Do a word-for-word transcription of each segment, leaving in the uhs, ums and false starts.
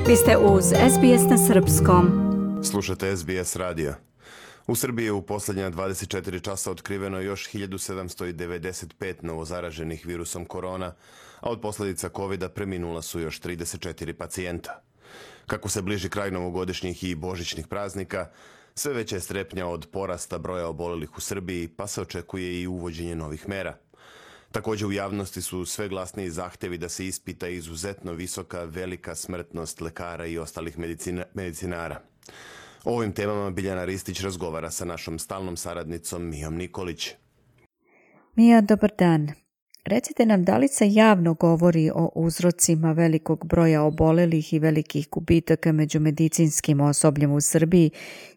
Vi ste uz S B S na srpskom. Slušate S B S radio. U Srbiji je u posljednja dvadeset četiri časa otkriveno još hiljadu sedamsto devedeset pet novozaraženih virusom korona, a od posljedica kovida preminula su još trideset četiri pacijenta. Kako se bliži kraj novogodišnjih i božićnih praznika, sve veća je strepnja od porasta broja obolelih u Srbiji, pa se očekuje i uvođenje novih mera. Također u javnosti su sve glasniji zahtjevi da se ispita izuzetno visoka, velika smrtnost lekara i ostalih medicina, medicinara. O ovim temama Biljana Ristić razgovara sa našom stalnom saradnicom Mijom Nikolić. Mija, dobar dan. Recite nam, da li se javno govori o uzrocima velikog broja obolelih i velikih gubitaka među medicinskim osobljem u Srbiji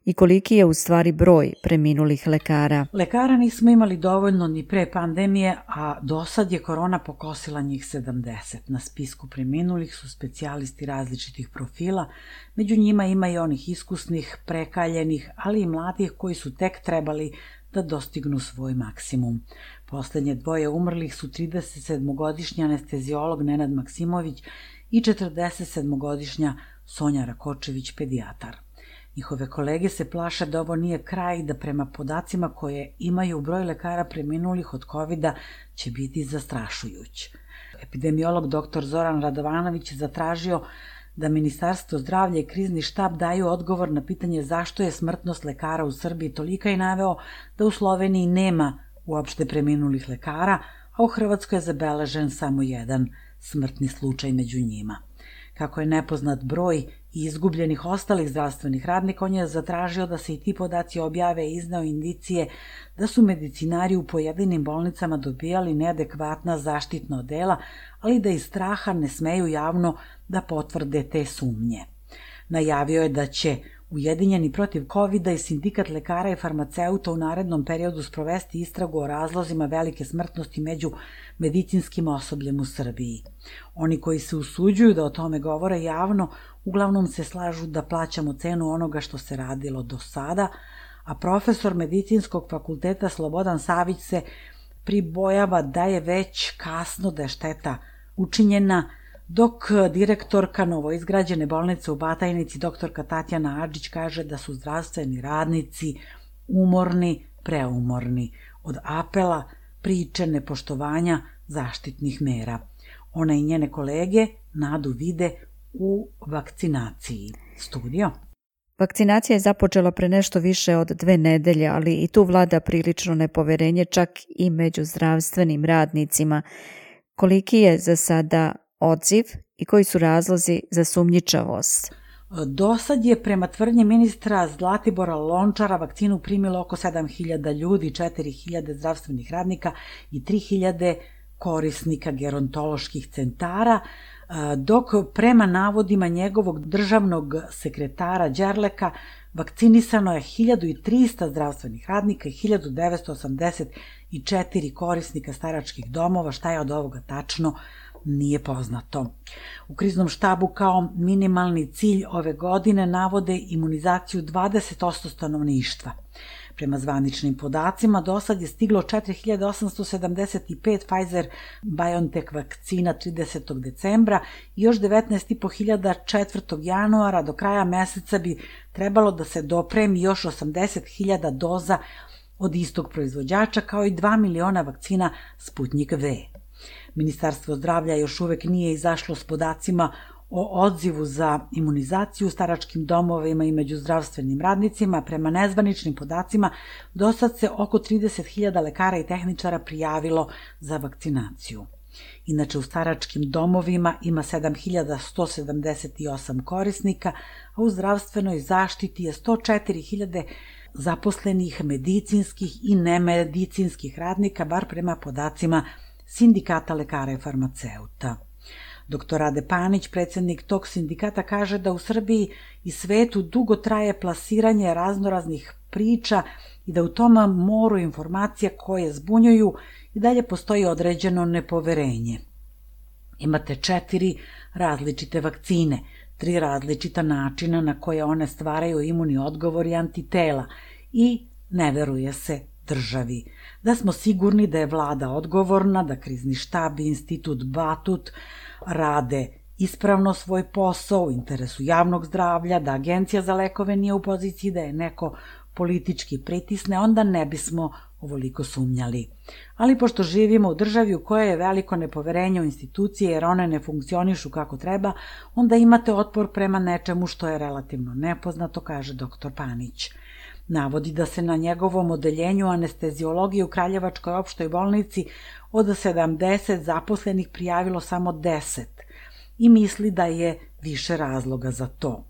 i koliki je u stvari broj preminulih lekara? Lekara nismo imali dovoljno ni pre pandemije, a do sad je korona pokosila njih sedamdeset. Na spisku preminulih su specijalisti različitih profila, među njima ima i onih iskusnih, prekaljenih, ali i mladih koji su tek trebali da dostignu svoj maksimum. Poslednje dvoje umrlih su tridesetsedmogodišnji anesteziolog Nenad Maksimović i četrdesetsedmogodišnja Sonja Rakočević, pedijatar. Njihove kolege se plaše da ovo nije kraj i da prema podacima koje imaju broj lekara preminulih od kovida će biti zastrašujuć. Epidemiolog dr Zoran Radovanović je zatražio da Ministarstvo zdravlja i krizni štab daju odgovor na pitanje zašto je smrtnost lekara u Srbiji tolika i naveo da u Sloveniji nema uopšte preminulih lekara, a u Hrvatskoj je zabeležen samo jedan smrtni slučaj među njima. Kako je nepoznat broj i izgubljenih ostalih zdravstvenih radnika, on je zatražio da se i ti podaci objave i izneo indicije da su medicinari u pojedinim bolnicama dobijali neadekvatna zaštitna odela, ali da iz straha ne smeju javno da potvrde te sumnje. Najavio je da će Ujedinjeni protiv kovida i Sindikat lekara i farmaceuta u narednom periodu sprovesti istragu o razlozima velike smrtnosti među medicinskim osobljem u Srbiji. Oni koji se usuđuju da o tome govore javno, uglavnom se slažu da plaćamo cenu onoga što se radilo do sada, a profesor medicinskog fakulteta Slobodan Savić se pribojava da je već kasno, da je šteta učinjena, dok direktorka novoizgrađene bolnice u Batajnici, doktorka Tatjana Adžić, kaže da su zdravstveni radnici umorni, preumorni od apela, priče, nepoštovanja zaštitnih mera. Ona i njene kolege nadu vide u vakcinaciji. Studio. Vakcinacija je započela pre nešto više od dve nedelje, ali i tu vlada prilično nepoverenje čak i među zdravstvenim radnicima. Koliki je za sada odziv i koji su razlozi za sumnjičavost? Do sad je prema tvrdnji ministra Zlatibora Lončara vakcinu primilo oko sedam hiljada ljudi, četiri hiljade zdravstvenih radnika i tri hiljade korisnika gerontoloških centara, dok prema navodima njegovog državnog sekretara Đerleka vakcinisano je hiljadu trista zdravstvenih radnika i hiljadu devetsto osamdeset četiri korisnika staračkih domova. Šta je od ovoga tačno, nije poznato. U kriznom štabu kao minimalni cilj ove godine navode imunizaciju dvadeset posto stanovništva. Prema zvaničnim podacima, do sad je stiglo četiri hiljade osamsto sedamdeset pet Pfizer-BioNTech vakcina tridesetog decembra i još devetnaest i po hiljada četvrtog januara. Do kraja meseca bi trebalo da se dopremi još osamdeset hiljada doza od istog proizvođača, kao i dva miliona vakcina Sputnik V. Ministarstvo zdravlja još uvek nije izašlo s podacima o odzivu za imunizaciju u staračkim domovima i među zdravstvenim radnicima. Prema nezvaničnim podacima, do sad se oko trideset hiljada lekara i tehničara prijavilo za vakcinaciju. Inače, u staračkim domovima ima sedam hiljada sto sedamdeset osam korisnika, a u zdravstvenoj zaštiti je sto četiri hiljade zaposlenih medicinskih i nemedicinskih radnika, bar prema podacima Sindikata lekara i farmaceuta. doktor Rade Panić, predsjednik tog sindikata, kaže da u Srbiji i svetu dugo traje plasiranje raznoraznih priča i da u tom moru informacija koje zbunjuju i dalje postoji određeno nepoverenje. Imate četiri različite vakcine, tri različita načina na koje one stvaraju imunni odgovor i antitela i ne veruje se državi. Da smo sigurni da je vlada odgovorna, da krizni štab i institut Batut rade ispravno svoj posao u interesu javnog zdravlja, da Agencija za lekove nije u poziciji da je neko politički pritisne, onda ne bismo ovoliko sumnjali. Ali pošto živimo u državi u kojoj je veliko nepoverenje u institucije jer one ne funkcionišu kako treba, onda imate otpor prema nečemu što je relativno nepoznato, kaže doktor Panić. Navodi da se na njegovom odeljenju anesteziologije u Kraljevačkoj opštoj bolnici od sedamdeset zaposlenih prijavilo samo deset i misli da je više razloga za to.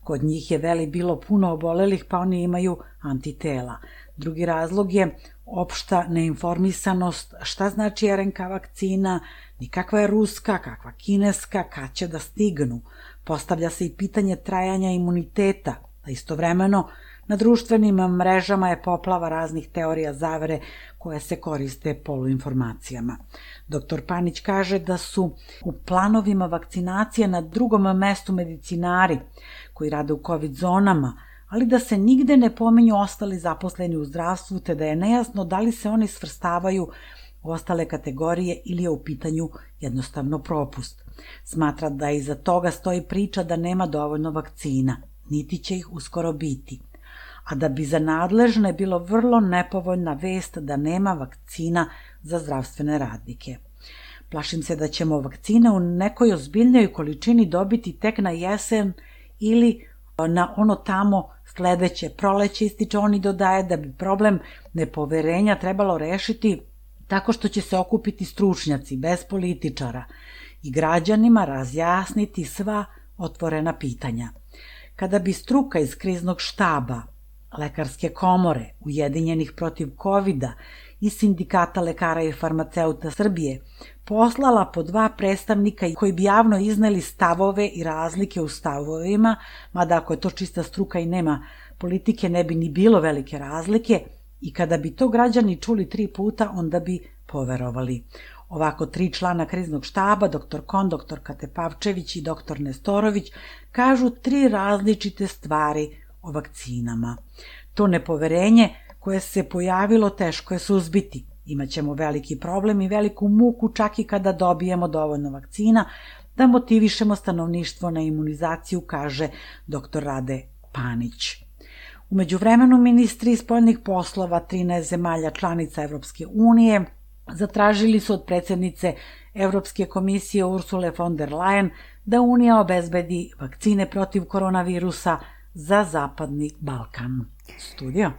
Kod njih je, veli, bilo puno obolelih, pa oni imaju antitela. Drugi razlog je opšta neinformisanost šta znači er en ka vakcina, ni kakva je ruska, kakva kineska, kad će da stignu. Postavlja se i pitanje trajanja imuniteta, a istovremeno na društvenim mrežama je poplava raznih teorija zavere koje se koriste poluinformacijama. Doktor Panić kaže da su u planovima vakcinacije na drugom mestu medicinari koji rade u COVID zonama, ali da se nigde ne pominju ostali zaposleni u zdravstvu, te da je nejasno da li se oni svrstavaju u ostale kategorije ili je u pitanju jednostavno propust. Smatra da iza toga stoji priča da nema dovoljno vakcina, niti će ih uskoro biti, a da bi za nadležne bilo vrlo nepovoljna vest da nema vakcina za zdravstvene radnike. Plašim se da ćemo vakcine u nekoj ozbiljnoj količini dobiti tek na jesen ili na ono tamo sledeće proleće, ističe on i dodaje da bi problem nepoverenja trebalo rešiti tako što će se okupiti stručnjaci bez političara i građanima razjasniti sva otvorena pitanja. Kada bi struka iz kriznog štaba, Lekarske komore, Ujedinjenih protiv kovida i Sindikata lekara i farmaceuta Srbije poslala po dva predstavnika koji bi javno izneli stavove i razlike u stavovima, mada ako je to čista struka i nema politike ne bi ni bilo velike razlike, i kada bi to građani čuli tri puta onda bi poverovali. Ovako tri člana kriznog štaba, doktor Kon, doktor Katepavčević i doktor Nestorović, kažu tri različite stvari o vakcinama. To nepoverenje koje se pojavilo teško je suzbiti. Imaćemo veliki problem i veliku muku čak i kada dobijemo dovoljno vakcina da motivišemo stanovništvo na imunizaciju, kaže doktor Rade Panić. U međuvremenu ministri spoljnih poslova trinaest zemalja članica Evropske unije zatražili su od predsjednice Evropske komisije Ursule von der Leyen da Unija obezbedi vakcine protiv koronavirusa za Zapadni Balkan. Studio.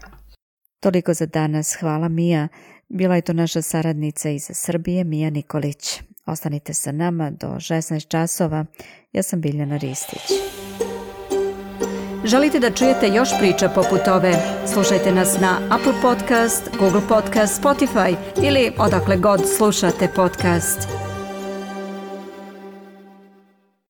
Toliko za danas. Hvala, Mija. Bila je to naša saradnica iz Srbije, Mija Nikolić. Ostanite sa nama do šesnaest časova. Ja sam Biljana Ristić. Želite da čujete još priča poput ove? Slušajte nas na Apple Podcast, Google Podcast, Spotify ili odakle god slušate podcast.